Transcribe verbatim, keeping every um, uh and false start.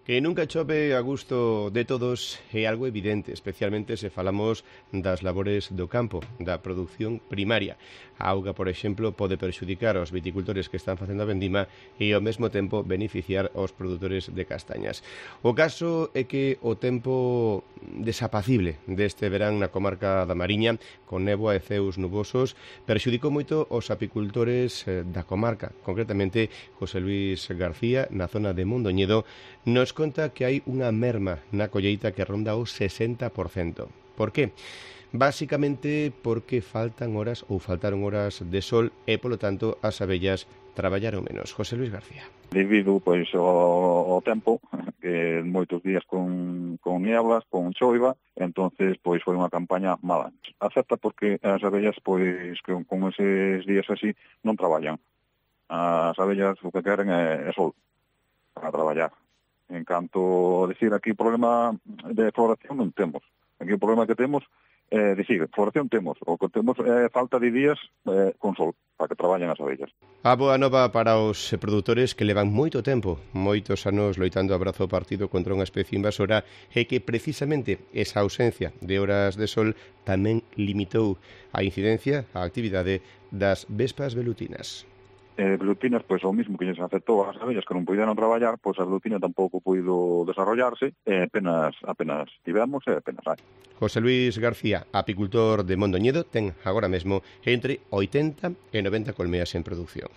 Que nunca chove a gusto de todos é algo evidente, especialmente se falamos das labores do campo, da produción primaria. A auga, por exemplo, pode perxudicar aos viticultores que están facendo a vendima e ao mesmo tempo beneficiar aos produtores de castañas. O caso é que o tempo desapacible deste verán na comarca da Mariña, con néboa e ceos nubosos, perxudicou moito os apicultores da comarca, concretamente José Luis García, na zona de Mondoñedo, nos conta que hai unha merma na colleita que ronda o sesenta por cento. Por que? Básicamente porque faltan horas ou faltaron horas de sol e, polo tanto, as abellas traballaron menos. José Luis García. Debido pois ao, ao tempo, que moitos días con, con nieblas, con choiva, entonces pois foi unha campaña mala. Acepta porque as abellas pois con, con eses días así non traballan. As abellas o que queren é, é sol para traballar. En canto a decir aquí problema de floración non temos. Aquí o problema que temos é dicir, floración temos, o que temos é falta de días eh, con sol para que traballen as abellas. A boa nova para os produtores que levan moito tempo, moitos anos loitando a brazo partido contra unha especie invasora e que precisamente esa ausencia de horas de sol tamén limitou a incidencia, a actividade das vespas velutinas. Eh, velutinas, pois o mismo que lles afectou ás abellas que non puderon traballar, pois a velutina tampouco puido desarrollarse, e apenas, apenas tivemos e apenas hai. José Luis García, apicultor de Mondoñedo, ten agora mesmo entre oitenta e noventa colmeas en produción.